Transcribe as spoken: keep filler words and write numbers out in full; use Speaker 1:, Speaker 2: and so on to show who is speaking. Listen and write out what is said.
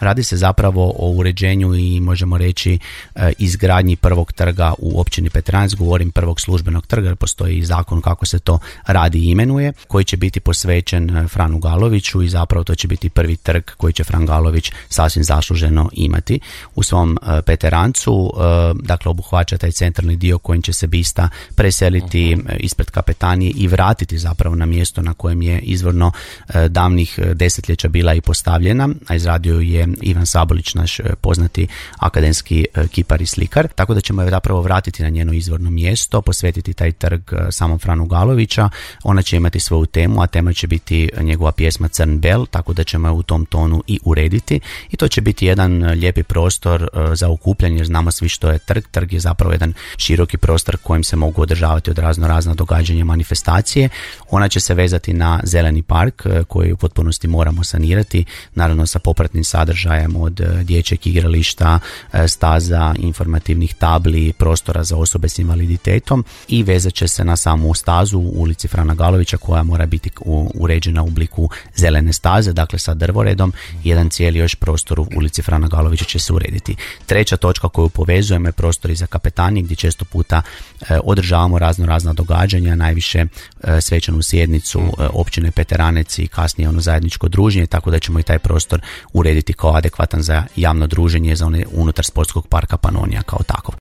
Speaker 1: Radi se zapravo o uređenju i možemo reći izgradnji prvog trga u općini Petranac, govorim prvog službenog trga jer postoji i zakon kako se to radi i imenuje, koji će biti posvećen Franu Galoviću i zapravo to će biti prvi trg koji će Fran Galović sasvim zasluženo imati u svom Peterancu. Dakle, obuhvaća taj centralni dio kojim će se bista preseliti ispred kapetanije i vratiti zapravo na mjesto na kojem je izvorno davnih desetljeća bila i postavljena, a izradio je Ivan Sabolić, naš poznati akademski kipar i slikar, tako da ćemo je zapravo vratiti na njeno izvorno mjesto, posvetiti taj trg samom Franu Galovića. Ona će imati svoju temu, a tema će biti njegova pjesma Crn bel, tako da ćemo je u tom tonu i urediti i to će biti jedan lijepi prostor za okupljanje, jer znamo svi što je trg. Trg je zapravo jedan široki prostor kojim se mogu održavati od razno razna događanja, manifestacije. Ona će se vezati na zeleni park koji u potpunosti moramo sanirati, naravno sa popratnim sadržajem od dječjeg igrališta, staza, informativnih tabli, prostora za osobe s invaliditetom i vezat će se na samu stazu u ulici Frana Galovića koja mora biti uređena u obliku zelene staze, dakle sa drvoredom. Jedan cijeli još prostor u ulici Frana Galovića će se urediti. Treća točka koju povezujemo je prostori za kapetanije gdje često puta e, održavamo razno razna događanja, najviše e, svečanu sjednicu e, općine Peteranec i kasnije ono zajedničko druženje, tako da ćemo i taj prostor urediti kao adekvatan za javno druženje za one unutar sportskog parka Panonija kao takov.